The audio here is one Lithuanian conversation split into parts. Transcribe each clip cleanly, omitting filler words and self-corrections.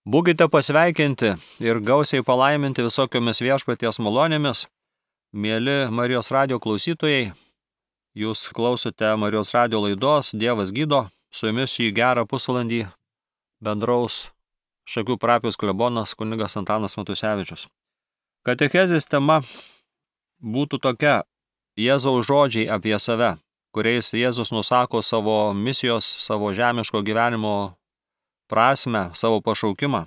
Būkite pasveikinti ir gausiai palaiminti visokiomis viešpaties malonėmis. Mėly Marijos radijo klausytojai, jūs klausote Marijos radijo laidos Dievas gydo. Su jumis šį gerą pusvalandį bendraus Šakių parapijos klebonas kunigas Antanas Matusevičius. Katechezės tema būtų tokia: Jėzaus žodžiai apie save, kuriais Jėzus nusako savo misijos, savo žemiško gyvenimo prasmę, savo pašaukimą.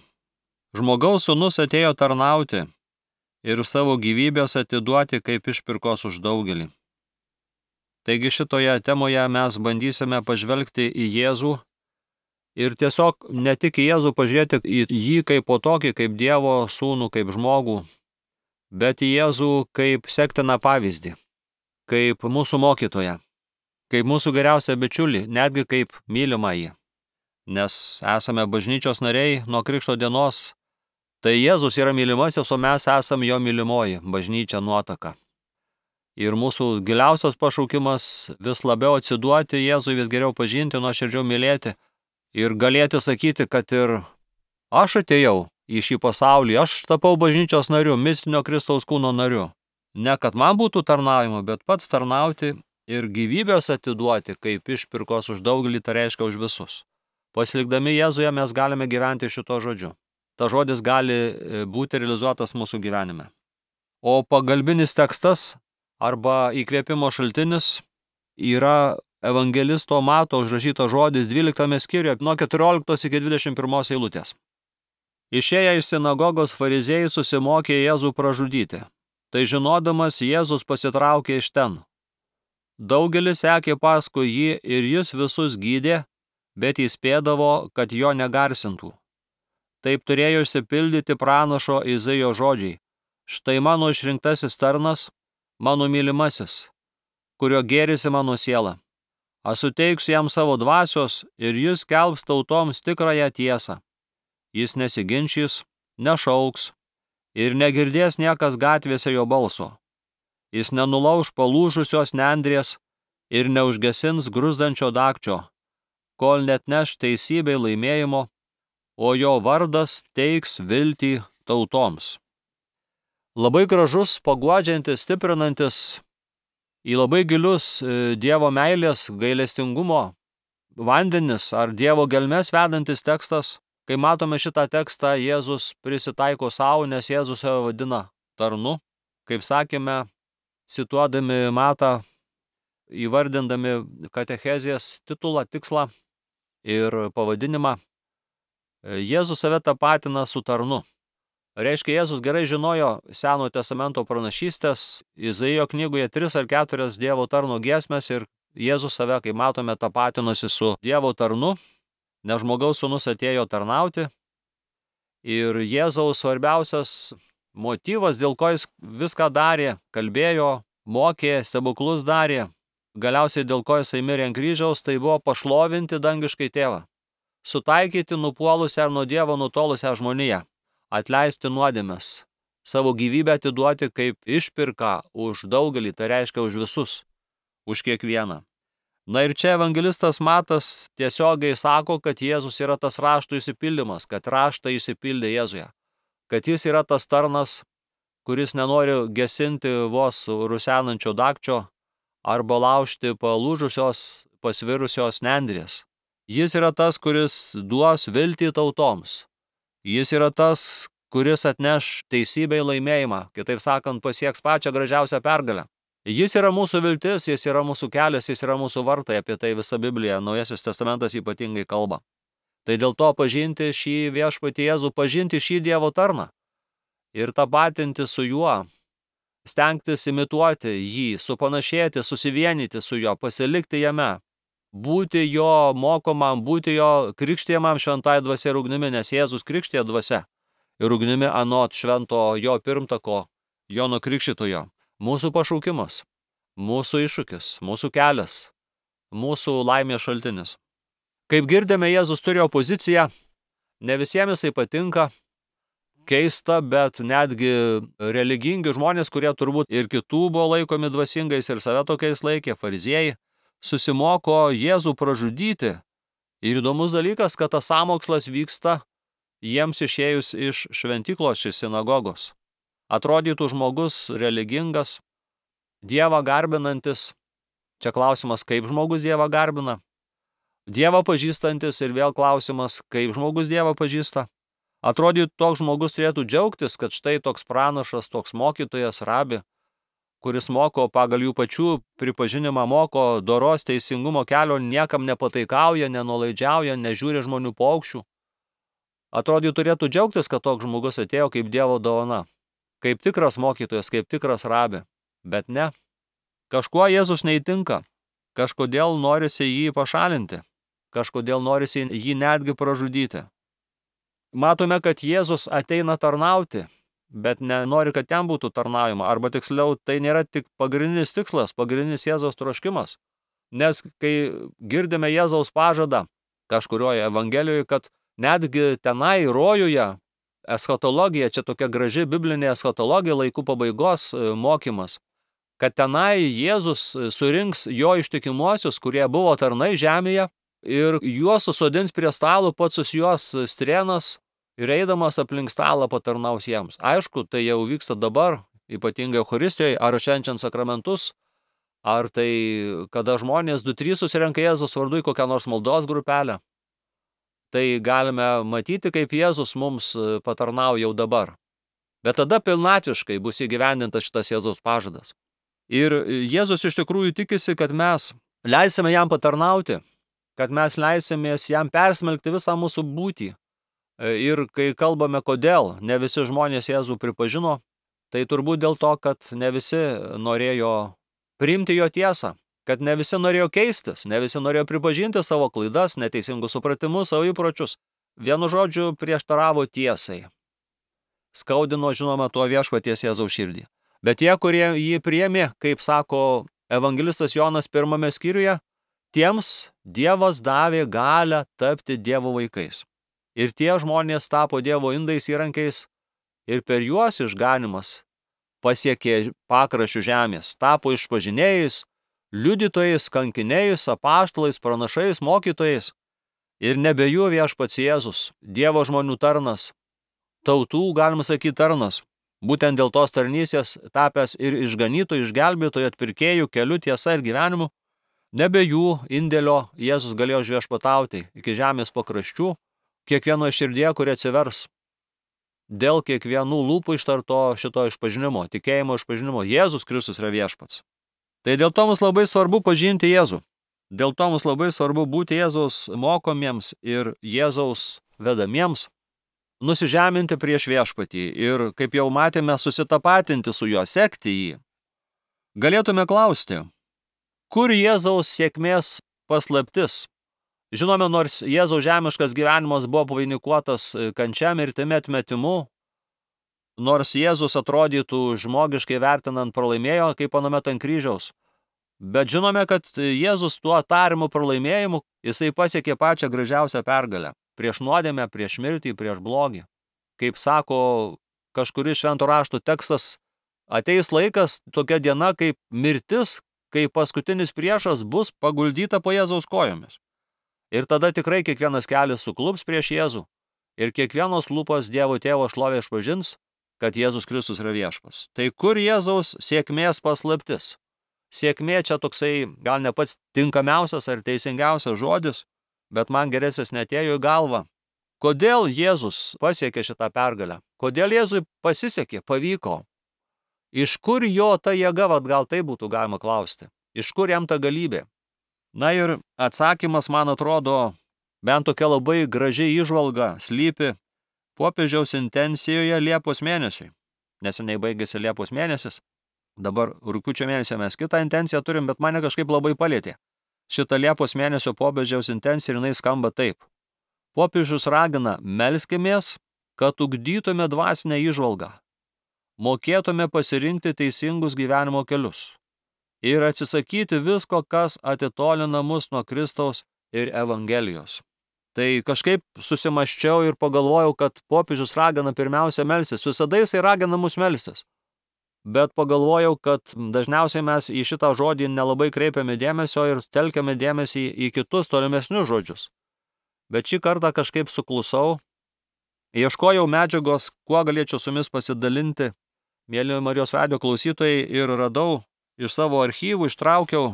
Žmogaus sūnus atėjo tarnauti ir savo gyvybės atiduoti kaip išpirkos už daugelį. Taigi šitoje temoje mes bandysime pažvelgti į Jėzų ir tiesiog ne tik į Jėzų pažiūrėti į jį kaip po tokį, kaip Dievo sūnų, kaip žmogų, bet į Jėzų kaip sektiną pavyzdį, kaip mūsų mokytoją, kaip mūsų geriausią bičiulį, netgi kaip mylimąjį. Nes esame bažnyčios nariai nuo Krikšto dienos, tai Jėzus yra mylimasis, o mes esame jo mylimoji bažnyčia nuotaka. Ir mūsų giliausias pašaukimas vis labiau atsiduoti Jėzui, vis geriau pažinti, nuoširdžiau mylėti ir galėti sakyti, kad ir aš atėjau į šį pasaulį, aš tapau bažnyčios nariu, mistinio Kristaus kūno nariu. Ne kad man būtų tarnavimo, bet pats tarnauti ir gyvybės atiduoti kaip išpirkos už daugelį, tai reiškia už visus. Pasilikdami Jėzuje mes galime gyventi šito žodžiu. Ta žodis gali būti realizuotas mūsų gyvenime. O pagalbinis tekstas arba įkvėpimo šaltinis yra evangelisto Mato užrašytas žodis 12 skyriuje nuo 14 iki 21 eilutės. Išėję iš sinagogos fariziejai susimokė Jėzų pražudyti. Tai žinodamas Jėzus pasitraukė iš ten. Daugelis sekė paskui jį ir jis visus gydė, bet įspėdavo, kad jo negarsintų. Taip turėjo išsipildyti pranašo Izaijo žodžiai: štai mano išrinktasis tarnas, mano mylimasis, kurio gėrisi mano siela. Aš suteiksiu jam savo dvasios ir jis skelbs tautoms tikrąją tiesą. Jis nesiginčys, nešauks ir negirdės niekas gatvėse jo balso. Jis nenulauš palūžusios nendrės ir neužgesins gruzdančio dagčio, kol net neš teisybei laimėjimo, o jo vardas teiks viltį tautoms. Labai gražus, paguodžiantis, stiprinantis, į labai gilius Dievo meilės, gailestingumo vandenis ar Dievo gelmes vedantis tekstas. Kai matome šitą tekstą, Jėzus prisitaiko savo, nes Jėzus save vadina tarnu. Kaip sakėme, cituodami Matą, įvardindami katechezės titulą, tikslą ir pavadinimą, Jėzus save tapatina su tarnu. Reiškia, Jėzus gerai žinojo Senojo testamento pranašystės, Izaijo knygoje 3 ar 4 Dievo tarno giesmės ir Jėzus save, kaip matome, tapatinosi su Dievo tarnu, nes žmogaus sūnus atėjo tarnauti. Ir Jėzaus svarbiausias motyvas, dėl ko jis viską darė, kalbėjo, mokė, stebuklus darė, galiausiai dėl ko jisai mirė ant kryžiaus, tai buvo pašlovinti dangiškai tėvą, sutaikyti nupuolusią ir nuo Dievo nutolusią žmoniją, atleisti nuodėmes, savo gyvybę atiduoti kaip išpirką už daugelį, tai reiškia už visus, už kiekvieną. Na ir čia evangelistas Matas tiesiogiai sako, kad Jėzus yra tas raštų išsipildymas, kad raštai išsipildė Jėzuje, kad jis yra tas tarnas, kuris nenori gesinti vos rusenančio dagčio arba laužti palūžusios, pasvirusios nendrės. Jis yra tas, kuris duos viltį tautoms. Jis yra tas, kuris atneš teisybei laimėjimą, kitaip sakant, pasieks pačią gražiausią pergalę. Jis yra mūsų viltis, jis yra mūsų kelias, jis yra mūsų vartai, apie tai visa Biblija, Naujasis testamentas ypatingai kalba. Tai dėl to pažinti šį viešpatį Jėzų, pažinti šį Dievo tarną ir tapatinti su juo, stengtis imituoti jį, supanašėti, susivienyti su juo, pasilikti jame, būti jo mokomam, būti jo krikštijamam šventai dvasia ir ugnimi, nes Jėzus krikštija dvasia ir ugnimi anot švento jo pirmtako, Jono Krikštytojo. Mūsų pašaukimas, mūsų iššūkis, mūsų kelias, mūsų laimės šaltinis. Kaip girdime, Jėzus turi opoziciją, ne visiems jisai patinka, keista, bet netgi religingi žmonės, kurie turbūt ir kitų buvo laikomi dvasingais ir save tokiais laikė, fariziejai, susimoko Jėzų pražudyti. Ir įdomus dalykas, kad tas sąmokslas vyksta jiems išėjus iš šventyklos iš sinagogos. Atrodytų žmogus religingas, Dievą garbinantis. Čia klausimas, kaip žmogus Dievą garbina. Dievą pažįstantis ir vėl klausimas, kaip žmogus Dievą pažįsta. Atrodytų, toks žmogus turėtų džiaugtis, kad štai toks pranašas, toks mokytojas, rabi, kuris moko pagal jų pačių pripažinimą, moko doros teisingumo kelio, niekam nepataikauja, nenulaidžiauja, nežiūri žmonių paukščių. Atrodytų, turėtų džiaugtis, kad toks žmogus atėjo kaip Dievo dovana, kaip tikras mokytojas, kaip tikras rabi. Bet ne. Kažkuo Jėzus neįtinka. Kažkodėl norisi jį pašalinti. Kažkodėl norisi jį netgi pražudyti. Matome, kad Jėzus ateina tarnauti, bet nenori, kad ten būtų tarnaujama. Arba tiksliau, tai nėra tik pagrindinis tikslas, pagrindinis Jėzaus troškimas. Nes kai girdime Jėzaus pažadą kažkurioje evangelijoje, kad netgi tenai rojuje eschatologija, čia tokia graži biblinė eschatologija, laikų pabaigos mokymas, kad tenai Jėzus surinks jo ištikimuosius, kurie buvo tarnai žemėje, ir juos susodins prie stalo, pats juos strėnas ir eidamas aplink stalą patarnaus jiems. Aišku, tai jau vyksta dabar, ypatingai Eucharistijoje, ar švenčiant sakramentus, ar tai kada žmonės 2-3 susirenka Jėzus vardu į kokią nors maldos grupelę. Tai galime matyti, kaip Jėzus mums patarnauja jau dabar. Bet tada pilnatviškai bus įgyvendintas šitas Jėzaus pažadas. Ir Jėzus iš tikrųjų tikisi, kad mes leisime jam patarnauti, kad mes leisimės jam persmelkti visą mūsų būtį. Ir kai kalbame, kodėl ne visi žmonės Jėzų pripažino, tai turbūt dėl to, kad ne visi norėjo priimti jo tiesą, kad ne visi norėjo keistis, ne visi norėjo pripažinti savo klaidas, neteisingus supratimus, savo įpročius. Vienu žodžiu prieštaravo tiesai. Skaudino, žinoma, tuo viešpaties Jėzaus širdį. Bet tie, kurie jį priėmė, kaip sako evangelistas Jonas 1 skyriuje, tiems Dievas davė galią tapti Dievo vaikais. Ir tie žmonės tapo Dievo indais įrankiais ir per juos išganimas pasiekė pakraščių žemės, tapo išpažinėjais, liudytojais, kankiniais, apaštalais, pranašais, mokytojais. Ir nebe jų viešpats Jėzus, Dievo žmonių tarnas, tautų, galima sakyti, tarnas. Būtent dėl tos tarnystės tapęs ir išganytojų, išgelbėtojų, atpirkėjų, keliu, tiesa ir gyvenimu, nebe jų indėlio Jėzus galėjo viešpatauti iki žemės pakraščių, kiekvieno širdie, kurie atsivers. Dėl kiekvienų lūpų ištarto šito išpažinimo, tikėjimo išpažinimo, Jėzus Kristus yra viešpats. Tai dėl to mums labai svarbu pažinti Jėzų. Dėl to mums labai svarbu būti Jėzaus mokomiems ir Jėzaus vedamiems, nusižeminti prieš viešpatį ir, kaip jau matėme, susitapatinti su juo, sekti jį. Galėtume klausti, kur Jėzaus sėkmės paslaptis? Žinome, nors Jėzaus žemiškas gyvenimas buvo pavainikuotas kančia, mirtimi, atmetimu, nors Jėzus atrodytų žmogiškai vertinant pralaimėjo, kaip anuomet ant kryžiaus. Bet žinome, kad Jėzus tuo tariamu pralaimėjimu, jisai pasiekė pačią gražiausią pergalę. Prieš nuodėmę, prieš mirtį, prieš blogį. Kaip sako kažkuris švento rašto tekstas, ateis laikas, tokia diena kaip mirtis, kai paskutinis priešas bus paguldyta po Jėzaus kojomis. Ir tada tikrai kiekvienas kelias suklups prieš Jėzų ir kiekvienos lūpos Dievo Tėvo šlovę išpažins, kad Jėzus Kristus yra viešpas. Tai kur Jėzaus sėkmės paslaptis? Sėkmė čia toksai gal ne pats tinkamiausias ar teisingiausias žodis, bet man geresnis netėjo į galvą. Kodėl Jėzus pasiekė šitą pergalę? Kodėl Jėzui pasisekė, pavyko? Iš kur jo ta jėga, gal tai būtų galima klausti? Iš kur jam ta galybė? Na ir atsakymas, man atrodo, bent tokia labai graži įžvalga slypi popiežiaus intencijoje Liepos mėnesiui. Neseniai baigėsi Liepos mėnesis. Dabar rugpjūčio mėnesį mes kitą intenciją turim, bet mane kažkaip labai palėtė. Šita Liepos mėnesio popiežiaus intencija ir jinai skamba taip. Popiežius ragina, melskimės, kad ugdytume dvasinę įžvalgą, mokėtume pasirinkti teisingus gyvenimo kelius ir atsisakyti visko, kas atitolina mus nuo Kristaus ir Evangelijos. Tai kažkaip susimaščiau ir pagalvojau, kad popiežius ragina pirmiausia melstis. Visada jisai ragina mus melstis. Bet pagalvojau, kad dažniausiai mes į šitą žodį nelabai kreipiame dėmesio ir telkiame dėmesį į kitus tolimesnius žodžius. Bet šį kartą kažkaip suklusau Ieškojau medžiagos, kuo galėčiau su jumis pasidalinti, mėly Marijos radijo klausytojai, ir radau iš savo archyvų, ištraukiau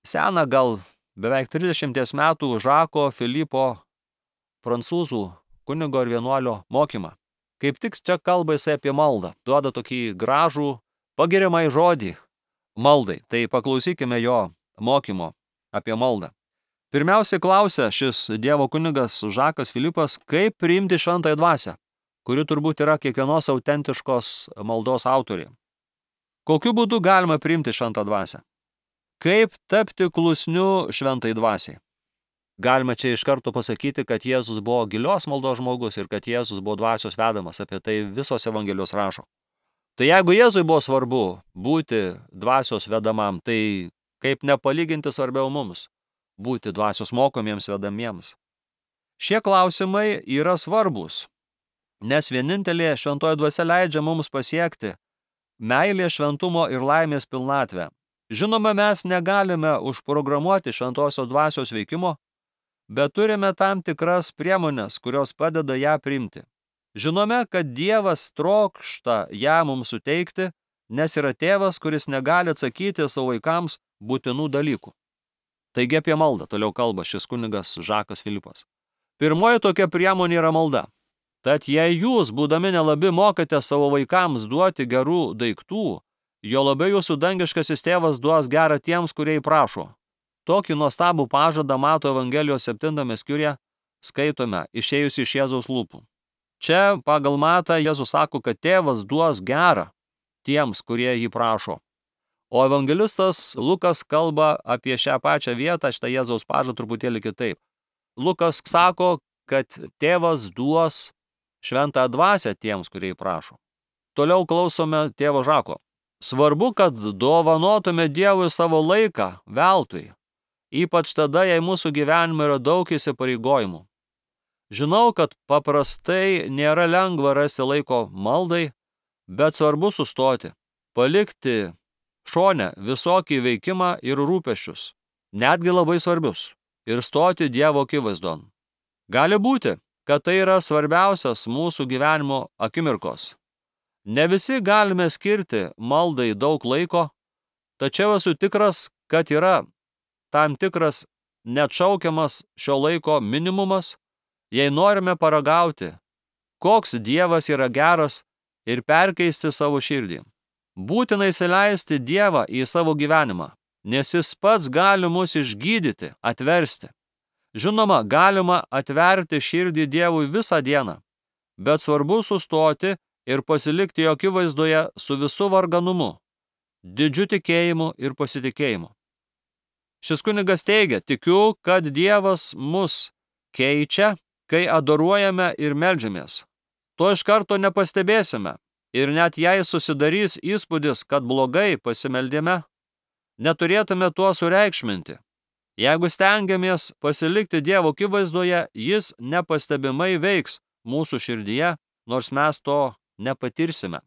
seną gal beveik 30 metų Žako Filipo prancūzų kunigo ir vienuolio mokymą. Kaip tik čia kalba jisai apie maldą, duoda tokį gražų pagiriamąjį žodį maldai. Tai paklausykime jo mokymo apie maldą. Pirmiausiai klausia šis Dievo kunigas Žakas Filipas, kaip priimti šventąją dvasią, kuri turbūt yra kiekvienos autentiškos maldos autorė. Kokiu būdu galima priimti šventą dvasią? Kaip tapti klusniu šventai dvasiai? Galima čia iš karto pasakyti, kad Jėzus buvo gilios maldos žmogus ir kad Jėzus buvo dvasios vedamas, apie tai visos Evangelijos rašo. Tai jeigu Jėzui buvo svarbu būti dvasios vedamam, tai kaip nepalyginti svarbiau mums būti dvasios mokomiems vedamiems. Šie klausimai yra svarbus, nes vienintelė šventoji dvasia leidžia mums pasiekti meilė, šventumo ir laimės pilnatvę. Žinoma, mes negalime užprogramuoti šventosios dvasios veikimo, bet turime tam tikras priemonės, kurios padeda ją priimti. Žinome, kad Dievas trokšta ją mums suteikti, nes yra tėvas, kuris negali atsakyti savo vaikams būtinų dalykų. Taigi apie maldą toliau kalba šis kunigas Žakas Filipas. Pirmoji tokia priemonė yra malda. Tad jei jūs, būdami nelabi, mokate savo vaikams duoti gerų daiktų, jo labiau jūsų dangiškasis tėvas duos gerą tiems, kurie prašo. Tokį nuostabų pažadą Mato Evangelijos 7 skyriuje skaitome išėjus iš Jėzaus lūpų. Čia pagal Matą Jėzus sako, kad tėvas duos gerą tiems, kurie jį prašo. O evangelistas Lukas kalba apie šią pačią vietą, šitą Jėzaus pažadą truputėlį kitaip. Lukas sako, kad tėvas duos šventą dvasią tiems, kurie jį prašo. Toliau klausome tėvo Žako. Svarbu, kad dovanotume Dievui savo laiką veltui. Ypač tada, jei mūsų gyvenime yra daug įsipareigojimų. Žinau, kad paprastai nėra lengva rasti laiko maldai, bet svarbu sustoti, palikti šone visokį veikimą ir rūpesčius, netgi labai svarbius, ir stoti Dievo akivaizdon. Gali būti, kad tai yra svarbiausias mūsų gyvenimo akimirkos. Ne visi galime skirti maldai daug laiko, tačiau esu tikras, kad yra tam tikras neatšaukiamas šio laiko minimumas, jei norime paragauti, koks Dievas yra geras ir perkeisti savo širdį. Būtina įsileisti Dievą į savo gyvenimą, nes jis pats gali mus išgydyti, atversti. Žinoma, galima atverti širdį Dievui visą dieną, bet svarbu sustoti ir pasilikti jo akivaizdoje su visu varganumu, didžiu tikėjimu ir pasitikėjimu. Šis kunigas teigia, tikiu, kad Dievas mus keičia, kai adoruojame ir meldžiamės. To iš karto nepastebėsime ir net jei susidarys įspūdis, kad blogai pasimeldėme, neturėtume tuo sureikšminti. Jeigu stengiamės pasilikti Dievo akivaizdoje, jis nepastebimai veiks mūsų širdyje, nors mes to nepatirsime.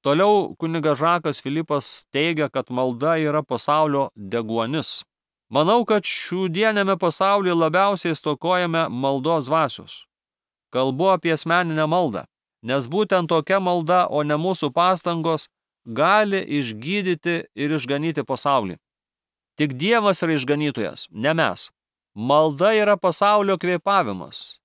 Toliau kunigas Žakas Filipas teigia, kad malda yra pasaulio deguonis. Manau, kad šiandienėme pasaulyje labiausiai stokojame maldos dvasios. Kalbu apie asmeninę maldą, nes būtent tokia malda, o ne mūsų pastangos, gali išgydyti ir išganyti pasaulį. Tik Dievas yra išganytojas, ne mes. Malda yra pasaulio kvėpavimas,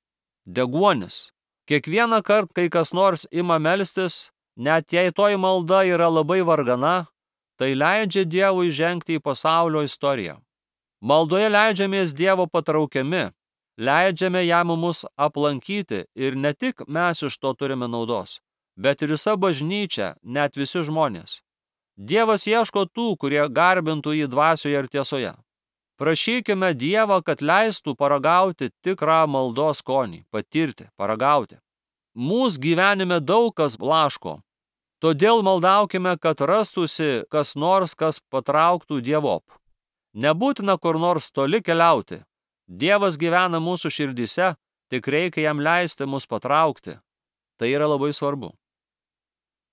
deguonis. Kiekvieną kartą, kai kas nors ima melstis, net jei toji malda yra labai vargana, tai leidžia Dievui žengti į pasaulio istoriją. Maldoje leidžiamės Dievo patraukiami, leidžiame jam mus aplankyti ir ne tik mes iš to turime naudos, bet ir visa bažnyčia, net visi žmonės. Dievas ieško tų, kurie garbintų jį dvasioje ir tiesoje. Prašykime Dievą, kad leistų paragauti tikrą maldos skonį, patirti, paragauti. Mūsų gyvenime daug kas blaško, todėl maldaukime, kad rastųsi kas nors, kas patrauktų Dievop. Nebūtina kur nors toli keliauti. Dievas gyvena mūsų širdyse, tik reikia jam leisti mus patraukti. Tai yra labai svarbu.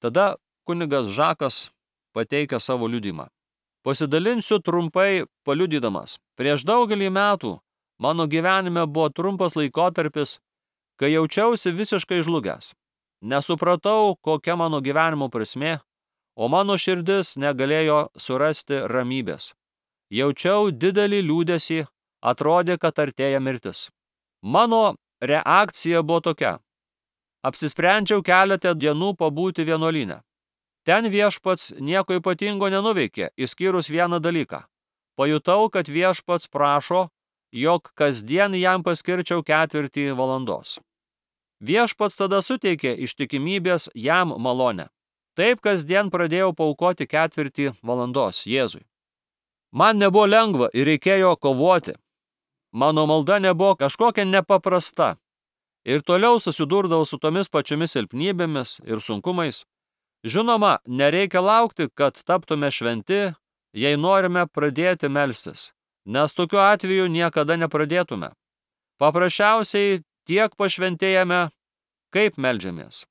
Tada kunigas Žakas pateikia savo liudymą. Pasidalinsiu trumpai paliudydamas. Prieš daugelį metų mano gyvenime buvo trumpas laikotarpis, kai jaučiausi visiškai žlugęs. Nesupratau, kokia mano gyvenimo prasmė, o mano širdis negalėjo surasti ramybės. Jaučiau didelį liūdesį, atrodė, kad artėja mirtis. Mano reakcija buvo tokia. Apsisprendžiau keletą dienų pabūti vienuolyne. Ten viešpats nieko ypatingo nenuveikė, išskyrus vieną dalyką. Pajutau, kad viešpats prašo, jog kasdien jam paskirčiau 4 valandos. Viešpats tada suteikė ištikimybės jam malonę. Taip kasdien pradėjau paaukoti 4 valandos Jėzui. Man nebuvo lengva ir reikėjo kovoti. Mano malda nebuvo kažkokia nepaprasta. Ir toliau susidurdavau su tomis pačiomis silpnybėmis ir sunkumais. Žinoma, nereikia laukti, kad taptume šventi, jei norime pradėti melstis, nes tokiu atveju niekada nepradėtume. Paprasčiausiai tiek pašventėjame, kaip meldžiamės.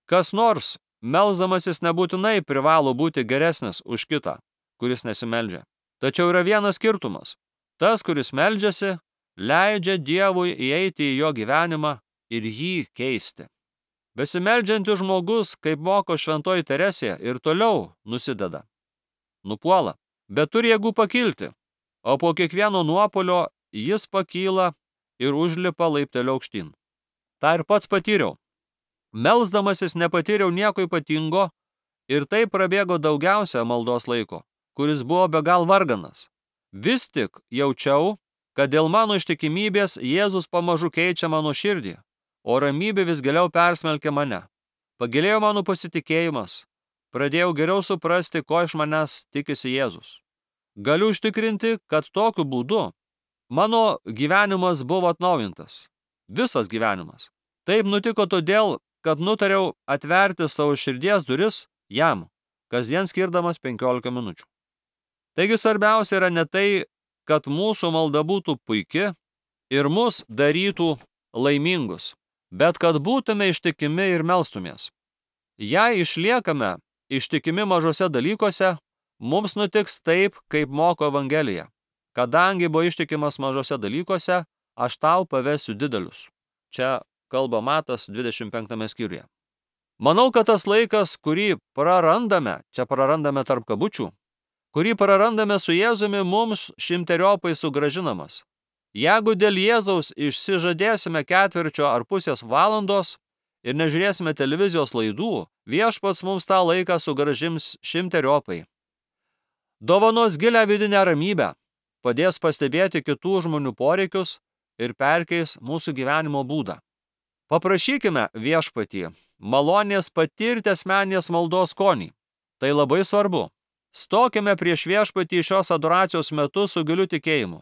Kas nors, melsdamasis nebūtinai privalo būti geresnis už kitą, kuris nesimeldžia. Tačiau yra vienas skirtumas. Tas, kuris meldžiasi, leidžia Dievui įeiti į jo gyvenimą ir jį keisti. Besimeldžiantis žmogus, kaip moko šventoji Teresė, ir toliau nusideda. Nupuola, bet turi jėgų pakilti, o po kiekvieno nuopuolio jis pakyla ir užlipa laipteliu aukštyn. Ta ir pats patyriau. Melsdamasis nepatyriau nieko ypatingo ir tai prabėgo daugiausia maldos laiko, kuris buvo be gal varganas. Vis tik jaučiau, kad dėl mano ištikimybės Jėzus pamažu keičia mano širdį, o ramybė vis giliau persmelkė mane. Pagilėjo mano pasitikėjimas, pradėjau geriau suprasti, ko iš manęs tikisi Jėzus. Galiu užtikrinti, kad tokiu būdu mano gyvenimas buvo atnaujintas. Visas gyvenimas. Taip nutiko todėl, kad nutariau atverti savo širdies duris jam, kasdien skirdamas 15 minučių. Taigi svarbiausia yra ne tai, kad mūsų malda būtų puiki ir mus darytų laimingus, bet kad būtume ištikimi ir melstumės. Jei išliekame ištikimi mažose dalykuose, mums nutiks taip, kaip moko Evangelija. Kadangi buvo ištikimas mažose dalykuose, aš tau pavesiu didelius. Čia kalba Matas 25 skyriuje. Manau, kad tas laikas, kurį prarandame, čia prarandame tarp kabučių, kurį prarandame su Jėzumi, mums 100-eriopai sugrąžinamas. Jeigu dėl Jėzaus išsižadėsime 4 ar pusės valandos ir nežiūrėsime televizijos laidų, viešpats mums tą laiką sugrąžins 100-eriopai. Dovanos gilią vidinę ramybę, padės pastebėti kitų žmonių poreikius ir perkeis mūsų gyvenimo būdą. Paprašykime viešpatį malonės patirti asmeninės maldos skonį. Tai labai svarbu. Stokime prieš viešpatį šios adoracijos metu su giliu tikėjimu.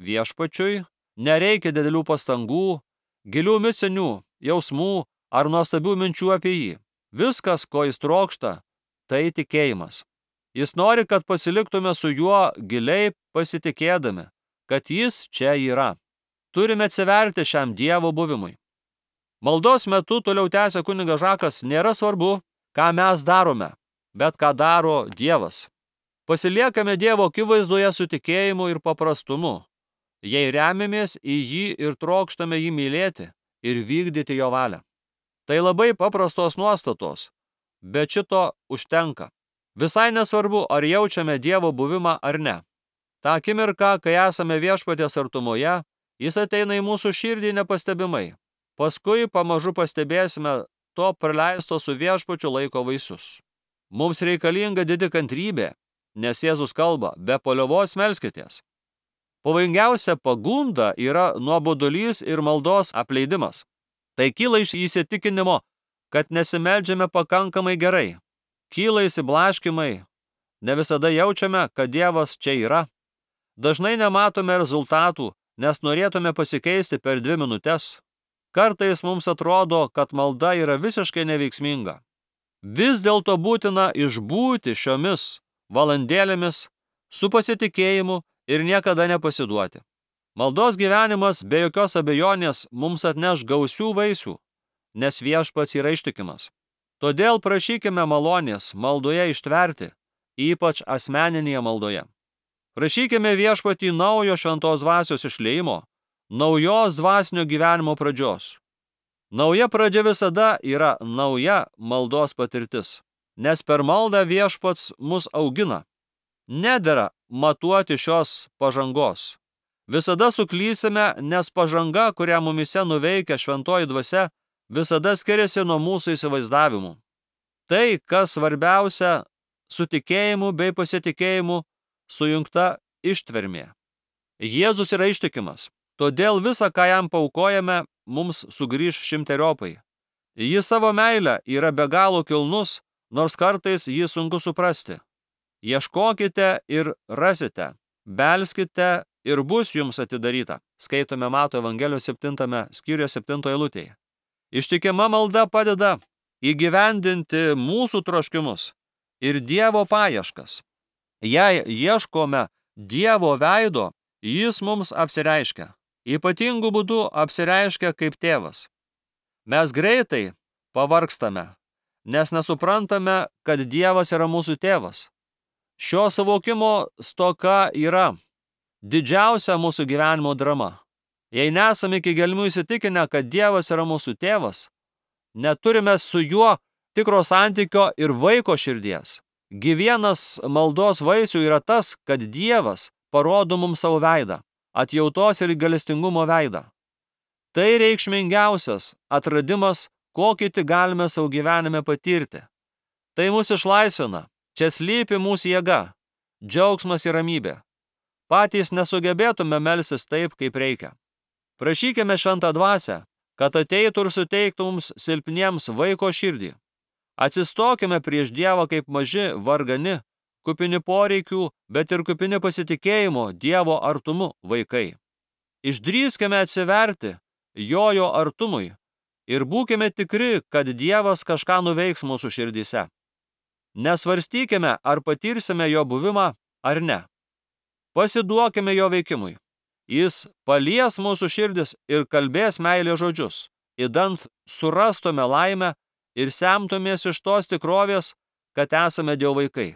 Viešpačiui nereikia didelių pastangų, gilių misinių, jausmų ar nuostabių minčių apie jį. Viskas, ko jis trokšta, tai tikėjimas. Jis nori, kad pasiliktume su juo giliai pasitikėdami, kad jis čia yra. Turime atsiverti šiam Dievo buvimui. Maldos metu, toliau tęsia kunigas Žakas, nėra svarbu, ką mes darome, bet ką daro Dievas. Pasiliekame Dievo akivaizdoje su tikėjimu ir paprastumu, jei remiamės į jį ir trokštame jį mylėti ir vykdyti jo valią. Tai labai paprastos nuostatos, bet šito užtenka. Visai nesvarbu, ar jaučiame Dievo buvimą ar ne. Ta akimirka, kai esame viešpaties artumoje, jis ateina į mūsų širdį nepastebimai. Paskui pamažu pastebėsime to praleisto su viešpačiu laiko vaisius. Mums reikalinga didi kantrybė, nes Jėzus kalba, be paliovos melskitės. Pavojingiausia pagunda yra nuobodulys ir maldos apleidimas. Tai kyla iš įsitikinimo, kad nesimeldžiame pakankamai gerai. Kyla įsiblaškimai, ne visada jaučiame, kad Dievas čia yra. Dažnai nematome rezultatų, nes norėtume pasikeisti per 2 minutes. Kartais mums atrodo, kad malda yra visiškai neveiksminga. Vis dėlto būtina išbūti šiomis valandėlėmis su pasitikėjimu ir niekada nepasiduoti. Maldos gyvenimas be jokios abejonės mums atneš gausių vaisių, nes viešpats yra ištikimas. Todėl prašykime malonės maldoje ištverti, ypač asmeninėje maldoje. Prašykime viešpatį naujo šventos dvasios išliejimo, naujos dvasinio gyvenimo pradžios. Nauja pradžia visada yra nauja maldos patirtis, nes per maldą Viešpats mus augina. Nedera matuoti šios pažangos. Visada suklysime, nes pažanga, kurią mumise nuveikia šventoji dvasia, visada skiriasi nuo mūsų įsivaizdavimų. Tai, kas svarbiausia, su tikėjimu bei pasitikėjimu sujungta ištvermė. Jėzus yra ištikimas, todėl visą, ką jam paaukojame, mums sugrįž šimteriopai. Jis savo meilę yra be galo kilnus, nors kartais jį sunku suprasti. Ieškokite ir rasite, belskite ir bus jums atidaryta. Skaitome Mato Evangelijos 7 skyriuje 7 eilutėje. Ištikima malda padeda įgyvendinti mūsų troškimus ir Dievo paieškas. Jei ieškome Dievo veido, jis mums apsireiškia. Ypatingų būdų apsireiškia kaip tėvas. Mes greitai pavargstame, nes nesuprantame, kad Dievas yra mūsų tėvas. Šio suvokimo stoka yra didžiausia mūsų gyvenimo drama. Jei nesame iki gelmių įsitikinę, kad Dievas yra mūsų tėvas, neturime su juo tikro santykio ir vaiko širdies. Vienas maldos vaisių yra tas, kad Dievas parodo mums savo veidą, atjautos ir gailestingumo veidą. Tai reikšmingiausias atradimas, kokį tik galime savo gyvenime patirti. Tai mus išlaisvina, čia slypi mūsų jėga, džiaugsmas ir ramybė. Patys nesugebėtume melstis taip, kaip reikia. Prašykime šventą dvasią, kad ateitų ir suteiktų mums silpniems vaiko širdį. Atsistokime prieš Dievą kaip maži, vargani, kupini poreikių, bet ir kupini pasitikėjimo Dievo artumu vaikai. Išdrįskime atsiverti jo artumui ir būkime tikri, kad Dievas kažką nuveiks mūsų širdyse. Nesvarstykime, ar patirsime jo buvimą ar ne. Pasiduokime jo veikimui. Jis palies mūsų širdis ir kalbės meilės žodžius, idant surastume laimę ir semtumės iš tos tikrovės, kad esame Dievo vaikai.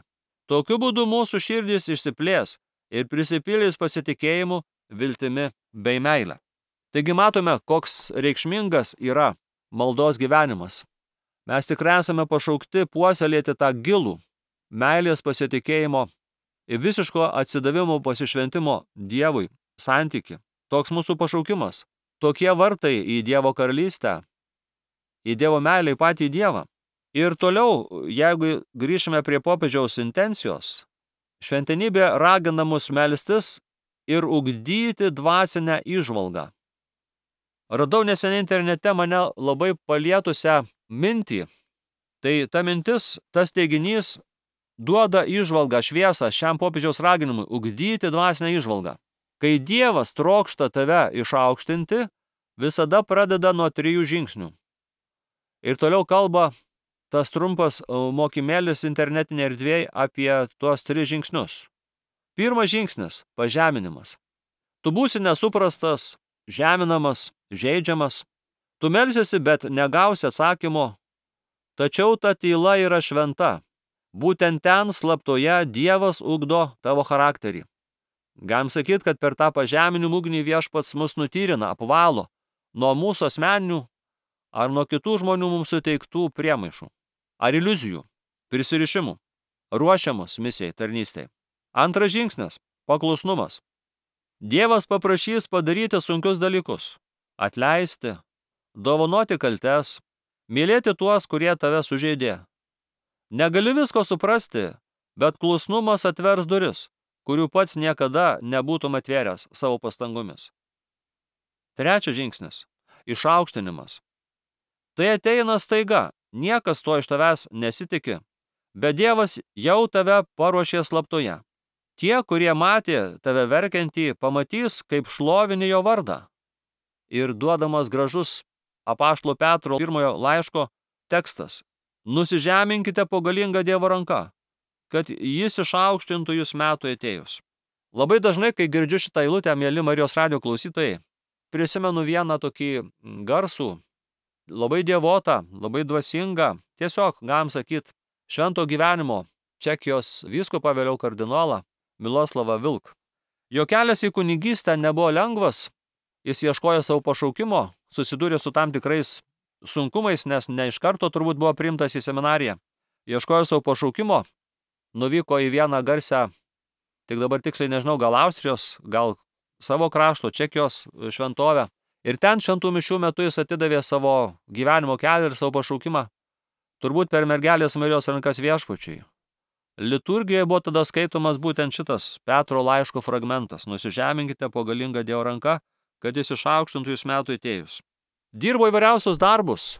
Tokiu būdu mūsų širdis išsiplės ir prisipildys pasitikėjimu, viltimi bei meile. Taigi matome, koks reikšmingas yra maldos gyvenimas. Mes tikrai esame pašaukti puoselėti tą gilų meilės pasitikėjimo ir visiško atsidavimo pasišventimo Dievui santykį. Toks mūsų pašaukimas. Tokie vartai į Dievo karalystę, į Dievo meilę, į patį Dievą. Ir toliau, jeigu grįžime prie popiežiaus intencijos, šventenybė ragina mus melstis ir ugdyti dvasinę įžvalgą. Radau neseniai internete mane labai palietusią mintį. Tai ta mintis, tas teiginys duoda įžvalgą, šviesą šiam popiežiaus raginimui ugdyti dvasinę įžvalgą. Kai Dievas trokšta tave išaukštinti, visada pradeda nuo 3 žingsnių. Ir toliau kalba tas trumpas mokymėlis internetinė erdvėje apie tuos 3 žingsnius. Pirmas žingsnis – pažeminimas. Tu būsi nesuprastas, žeminamas, žeidžiamas. Tu melsiesi, bet negausi atsakymo. Tačiau ta tyla yra šventa. Būtent ten slaptoje Dievas ugdo tavo charakterį. Galim sakyti, kad per tą pažeminimų ugnį Viešpats mus nutyrina, apvalo nuo mūsų asmeninių ar nuo kitų žmonių mums suteiktų priemaišų ar iliuzijų, prisirišimų, ruošiamus misijai, tarnystei. Antras žingsnis – paklusnumas. Dievas paprašys padaryti sunkius dalykus, atleisti, dovanoti kaltes, mylėti tuos, kurie tave sužeidė. Negali visko suprasti, bet klusnumas atvers duris, kurių pats niekada nebūtum atvėręs savo pastangomis. Trečias žingsnis – išaukštinimas. Tai ateina staiga, niekas to iš tavęs nesitiki, bet Dievas jau tave paruošė slaptoje. Tie, kurie matė tave verkiantį, pamatys, kaip šlovini jo vardą. Ir duodamas gražus apaštalo Petro 1 laiško tekstas – nusižeminkite po galingą Dievo ranką, kad jis išaukštintų jūs metų atėjus. Labai dažnai, kai girdžiu šitą eilutę, mieli Marijos radijo klausytojai, prisimenu vieną tokį garsų, labai dievotą, labai dvasingą, tiesiog, galim sakyti, švento gyvenimo Čekijos vyskupą, vėliau kardinolą Miloslavą Vilk. Jo kelias į kunigystę nebuvo lengvas, jis ieškojo savo pašaukimo, susidūrė su tam tikrais sunkumais, nes ne iš karto turbūt buvo priimtas į seminariją. Ieškojo savo pašaukimo, nuvyko į vieną garsią, tik dabar tiksliai nežinau, gal Austrijos, gal savo krašto, Čekijos šventovę. Ir ten šventų mišių metu jis atidavė savo gyvenimo kelią ir savo pašaukimą, turbūt per mergelės Marijos rankas viešpačiui. Liturgijoje buvo tada skaitomas būtent šitas Petro laiško fragmentas: nusižeminkite po galingą Dievo ranką, kad jis išaukštintų jūs metų atėjus. Dirbo įvairiausius darbus,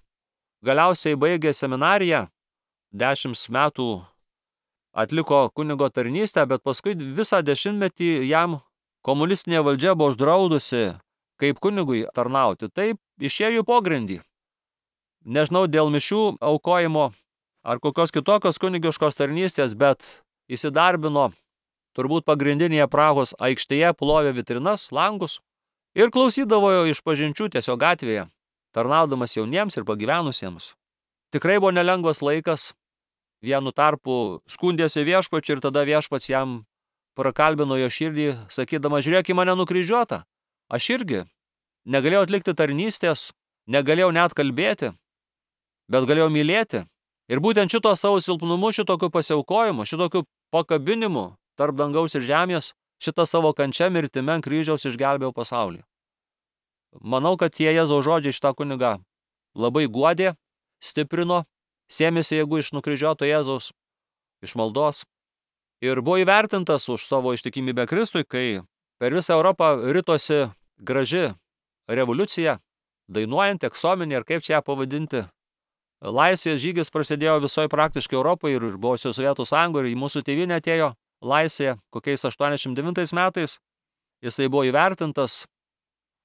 galiausiai baigė seminariją, 10 metų atliko kunigo tarnystę, bet paskui visą 10-metį jam komunistinė valdžia buvo uždraudusi kaip kunigui tarnauti. Taip išėjo į pogrindį. Nežinau, dėl mišių aukojimo ar kokios kitokios kunigiškos tarnystės, bet įsidarbino turbūt pagrindinėje Prahos aikštėje, plovė vitrinas, langus ir klausydavo išpažinčių tiesiog gatvėje, tarnaudamas jauniems ir pagyvenusiems. Tikrai buvo nelengvas laikas, vienu tarpu skundėsi viešpačiu ir tada viešpats jam prakalbino jo širdį, sakydama: žiūrėk į mane nukryžiuotą. Aš irgi negalėjau atlikti tarnystės, negalėjau net kalbėti, bet galėjau mylėti. Ir būtent šito savo silpnumu, šitokiu pasiaukojimu, šitokiu pakabinimu tarp dangaus ir žemės, šitą savo kančią mirtimi ant kryžiaus išgelbėjau pasaulį. Manau, kad tie Jėzaus žodžiai šitą kunigą labai guodė, stiprino, sėmėsi jėgų iš nukryžiuoto Jėzaus, iš maldos ir buvo įvertintas už savo ištikimybę Kristui, kai per visą Europą ritosi graži revoliucija, dainuojant, eksominė, ir kaip čia ją pavadinti. Laisvės žygis prasidėjo visoje praktiškai Europoje ir buvo Sovietų sąjungoje, ir į mūsų tėvynę atėjo laisvė kokiais 89 metais. Jisai buvo įvertintas,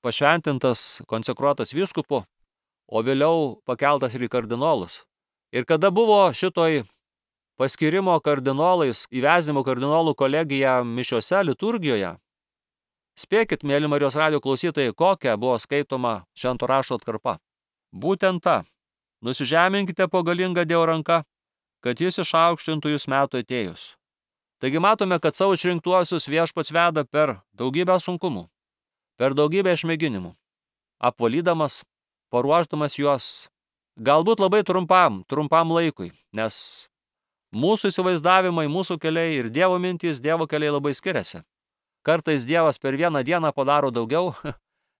pašventintas, konsekruotas vyskupu, o vėliau pakeltas ir į kardinolus. Ir kada buvo šitoj paskirimo kardinolais, įvesdinimo kardinolų kolegija mišiose, liturgijoje, spėkit, mėly Marijos radijo klausytojai, kokia buvo skaitoma švento rašto atkarpa. Būtent ta: nusižeminkite po galingą Dievo ranką, kad jis išaukštintų jūs metų atėjus. Taigi matome, kad savo išrinktuosius viešpats veda per daugybę sunkumų, per daugybę išmėginimų, apvalydamas, paruošdamas juos, galbūt labai trumpam laikui, nes mūsų įsivaizdavimai, mūsų keliai ir Dievo mintys, Dievo keliai labai skiriasi. Kartais Dievas per vieną dieną padaro daugiau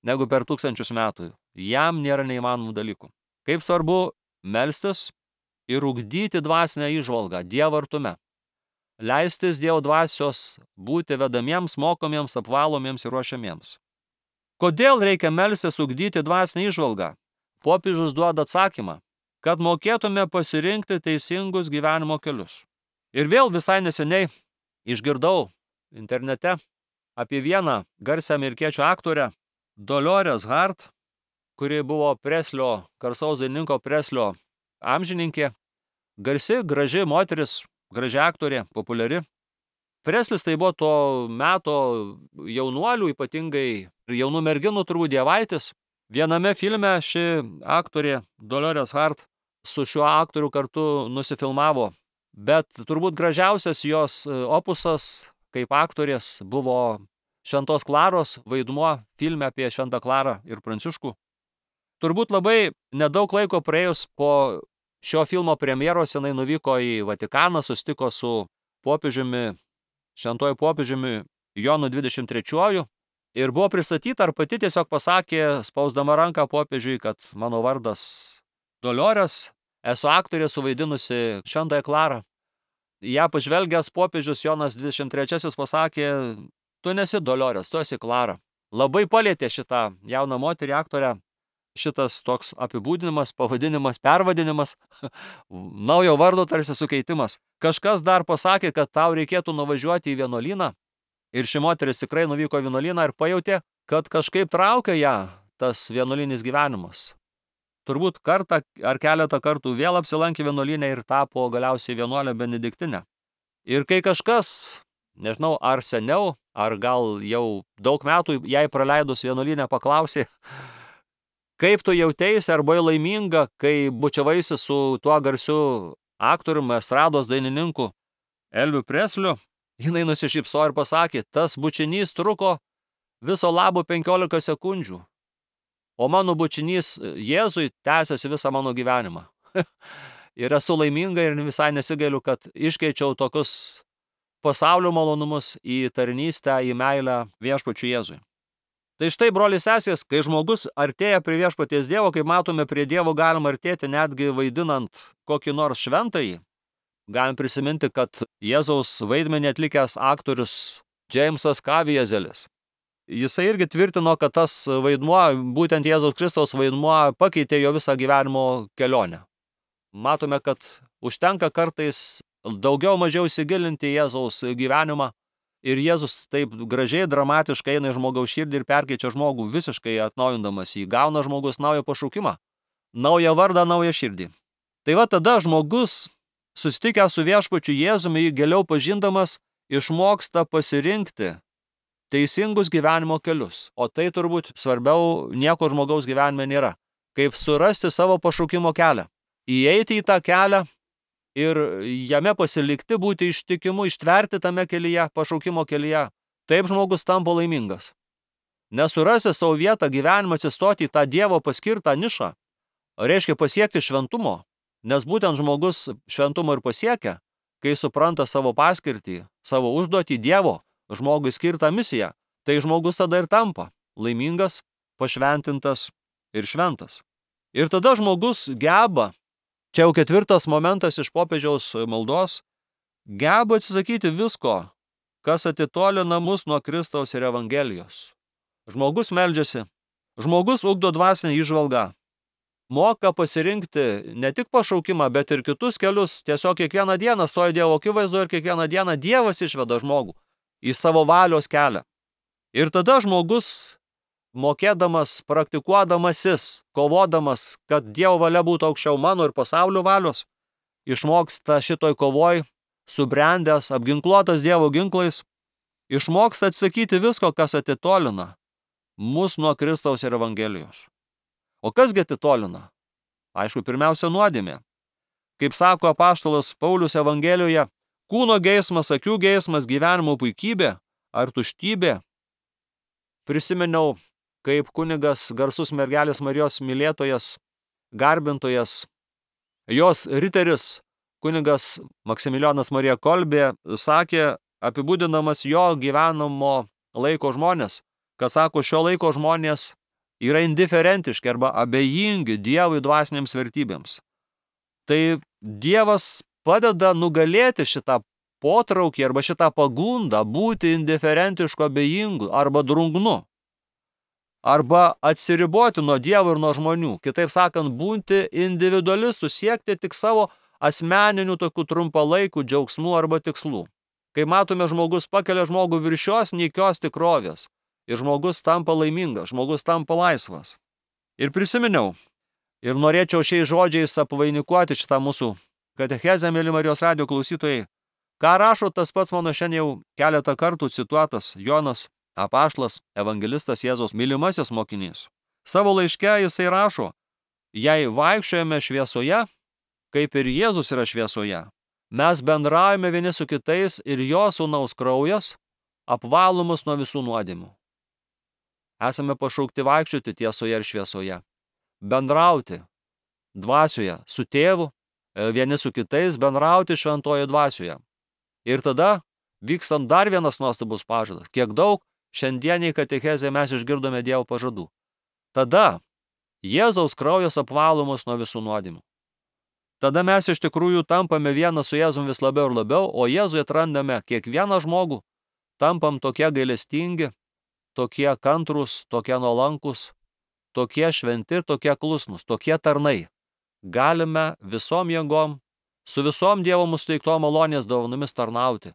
negu per 1000 metų. Jam nėra neįmanomų dalykų. Kaip svarbu melstis ir ugdyti dvasinę įžvalgą Dievo artume. Leistis Dievo dvasios būti vedamiems, mokomiems, apvalomiems ir ruošiamiems. Kodėl reikia melstis ugdyti dvasinę įžvalgą? Popiežius duoda atsakymą, kad mokėtume pasirinkti teisingus gyvenimo kelius. Ir vėl visai neseniai išgirdau internete apie vieną garsią amerikiečių aktorę, Dolores Hart, kuri buvo Preslio, garsaus dainininko Preslio amžininkė, garsi, graži moteris, graži aktorė, populiari. Preslis tai buvo to meto jaunuolių, ypatingai ir jaunų merginų turbūt dievaitis. Viename filme ši aktorė Dolores Hart su šiuo aktoriu kartu nusifilmavo, bet turbūt gražiausias jos opusas kaip aktorės buvo Šventos Klaros vaidmuo filme apie Šventą Klarą ir Pranciškų. Turbūt labai nedaug laiko praėjus po šio filmo premjeros jinai nuvyko į Vatikaną, susitiko su popiežiumi, šventuoju popiežiumi Jonu 23 ir buvo pristatyta, ar pati tiesiog pasakė, spausdama ranką popiežiui, kad mano vardas Dolores, esu aktorė suvaidinusi Šventąją Klarą. Ja pažvelgęs popiežius Jonas 23 pasakė: tu nesi Dolores, tu esi Klara. Labai palėtė šitą jauną moterį aktorę šitas toks apibūdinimas, pavadinimas, pervadinimas, naujo vardo tarsi sukeitimas. Kažkas dar pasakė, kad tau reikėtų nuvažiuoti į vienuolyną, ir ši moteris tikrai nuvyko į vienuolyną ir pajautė, kad kažkaip traukia ją tas vienuolinis gyvenimas. Turbūt kartą ar keletą kartų vėl apsilankė vienuolyne ir tapo galiausiai vienuolė benediktinė. Ir kai kažkas, nežinau, ar seniau, ar gal jau daug metų jai praleidus vienuolyne paklausė, kaip tu jauteisi ar buvai laiminga, kai bučiavaisi su tuo garsiu aktoriumi, estrados dainininku Elviu Presliu, jinai nusišypsojo ir pasakė: tas bučinys truko viso labo 15 sekundžių. o mano bučinys Jėzui tęsiasi visą mano gyvenimą. Ir esu laiminga ir visai nesigailiu, kad iškeičiau tokius pasaulio malonumus į tarnystę, į meilę viešpačiui Jėzui. Tai štai, broliai sesės, kai žmogus artėja prie viešpaties Dievo, kaip matome, prie Dievo galima artėti netgi vaidinant kokį nors šventąjį. Galim prisiminti, kad Jėzaus vaidmenį atlikęs aktorius Džeimsas Kaviezelis. Jisai irgi tvirtino, kad tas vaidmuo, būtent Jėzaus Kristaus vaidmuo, pakeitė jo visą gyvenimo kelionę. Matome, kad užtenka kartais daugiau mažiau įsigilinti į Jėzaus gyvenimą ir Jėzus taip gražiai, dramatiškai eina į žmogaus širdį ir perkeičia žmogų, visiškai atnaujindamas jį. Gauna žmogus naują pašaukimą, naują vardą, naują širdį. Tai va tada žmogus, susitikęs su viešpačiu Jėzumi, jį giliau pažindamas, išmoksta pasirinkti teisingus gyvenimo kelius. O tai turbūt svarbiau nieko žmogaus gyvenime nėra. Kaip surasti savo pašaukimo kelią. Įeiti į tą kelią ir jame pasilikti, būti ištikimu, ištverti tame kelyje, pašaukimo kelyje. Taip žmogus tampa laimingas. Nesurasi savo vietą gyvenimą, atsistoti į tą Dievo paskirtą nišą, reiškia pasiekti šventumo, nes būtent žmogus šventumo ir pasiekia, kai supranta savo paskirtį, savo užduotį Dievo, žmogui skirtą misiją, tai žmogus tada ir tampa laimingas, pašventintas ir šventas. Ir tada žmogus geba, čia jau 4 momentas iš popiežiaus maldos, geba atsisakyti visko, kas atitolina mus nuo Kristaus ir Evangelijos. Žmogus meldžiasi, žmogus ugdo dvasinę įžvalgą, moka pasirinkti ne tik pašaukimą, bet ir kitus kelius, tiesiog kiekvieną dieną stoja Dievo akivaizdoje ir kiekvieną dieną Dievas išveda žmogų į savo valios kelią. Ir tada žmogus, mokėdamas, praktikuodamasis, kovodamas, kad Dievo valia būtų aukščiau mano ir pasaulio valios, išmoksta šitoj kovoj, subrendęs, apginkluotas Dievo ginklais, išmoksta atsakyti visko, kas atitolina mus nuo Kristaus ir Evangelijos. O kasgi atitolina? Aišku, pirmiausia nuodėmė. Kaip sako apaštalas Paulius Evangelijoje, kūno geismas, akių geismas, gyvenimo puikybė ar tuštybė. Prisiminiau, kaip kunigas, garsus mergelės Marijos mylėtojas, garbintojas, jos riteris, kunigas Maksimilijonas Marija Kolbė, sakė, apibūdinamas jo gyvenamo laiko žmonės, kad sako, šio laiko žmonės yra indiferentiški arba abejingi Dievui dvasinėms vertybėms. Tai Dievas padeda nugalėti šitą potraukį arba šitą pagundą būti indiferentišku, abejingu arba drungnu. Arba atsiriboti nuo Dievo ir nuo žmonių. Kitaip sakant, būti individualistų, siekti tik savo asmeninių tokių trumpalaikių džiaugsmų arba tikslų. Kai matome, žmogus pakelia žmogų virš šios nykios tikrovės ir žmogus tampa laimingas, žmogus tampa laisvas. Ir prisiminiau, ir norėčiau šiais žodžiais apvainikuoti šitą mūsų katechezę, mėly Marijos radijo klausytojai, ką rašo tas pats mano šiandien jau keletą kartų cituotas Jonas apaštalas, evangelistas Jėzaus mylimasis mokinys. Savo laiške jisai rašo, jei vaikščiojame šviesoje, kaip ir Jėzus yra šviesoje, mes bendraujame vieni su kitais ir jo sūnaus kraujas apvalo mus nuo visų nuodėmių. Esame pašaukti vaikščioti tiesoje ir šviesoje, bendrauti dvasioje su tėvu, vieni su kitais bendrauti šventoje dvasioje. Ir tada vykstant dar vienas nuostabus pažadas, kiek daug šiandieniai katechezėje mes išgirdome Dievo pažadų. Tada Jėzaus kraujas apvalo mus nuo visų nuodėmių. Tada mes iš tikrųjų tampame vienas su Jėzum vis labiau ir labiau, o Jėzui atrandame kiekvieną žmogų, tampam tokie gailestingi, tokie kantrūs, tokie nuolankus, tokie šventi ir tokie klusnus, tokie tarnai. Galime visom jėgom, su visom Dievo mūsų teiktom malonės dovanomis tarnauti,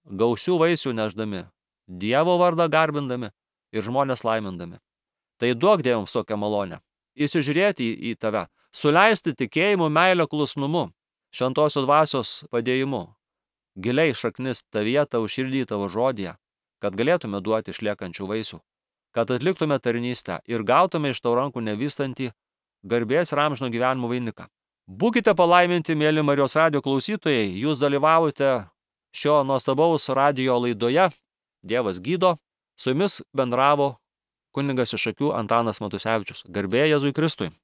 gausių vaisių neždami, Dievo vardą garbindami ir žmonės laimindami. Tai duok Dievams tokią malonę. Įsižiūrėti į tave, suleisti tikėjimu, meilę, klusnumu, šventosios dvasios padėjimu, giliai šaknis tavyje, tavo širdį, tavo žodyje, kad galėtume duoti išliekančių vaisių, kad atliktume tarnystę ir gautume iš tavo rankų nevystantį garbės ir amžino gyvenimo vainiką. Būkite palaiminti, mėly Marijos radijo klausytojai, jūs dalyvavote šio nuostabaus radijo laidoje Dievas gydo, su jumis bendravo kunigas iš Šakių Antanas Matusevičius. Garbė Jėzui Kristui.